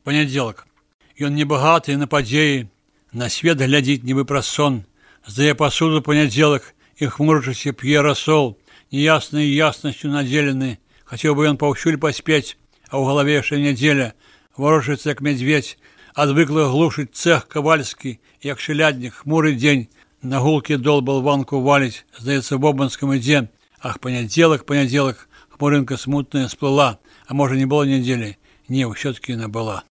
Панядзелак. Ён небагаты на падзеі, на свет глядзіць нібы праз сон, здае пасуду панядзелак і хмурачыся п'е расол, неяснай яснасцю надзелены. Хацеў бы ён паўсюль паспець, а ў галаве яшчэ нядзеля, варочаецца як мядзведзь, адвыкла глушыць цэх кавальскі, як шыляднік, хмуры дзень, на гулкі дол балванку валіць, здаецца, бобанскам ідзе. Ах, панядзелак, панядзелак, хмурынка смутная сплыла, а можа, не было нядзелі? Не, ўсё-такі яна была.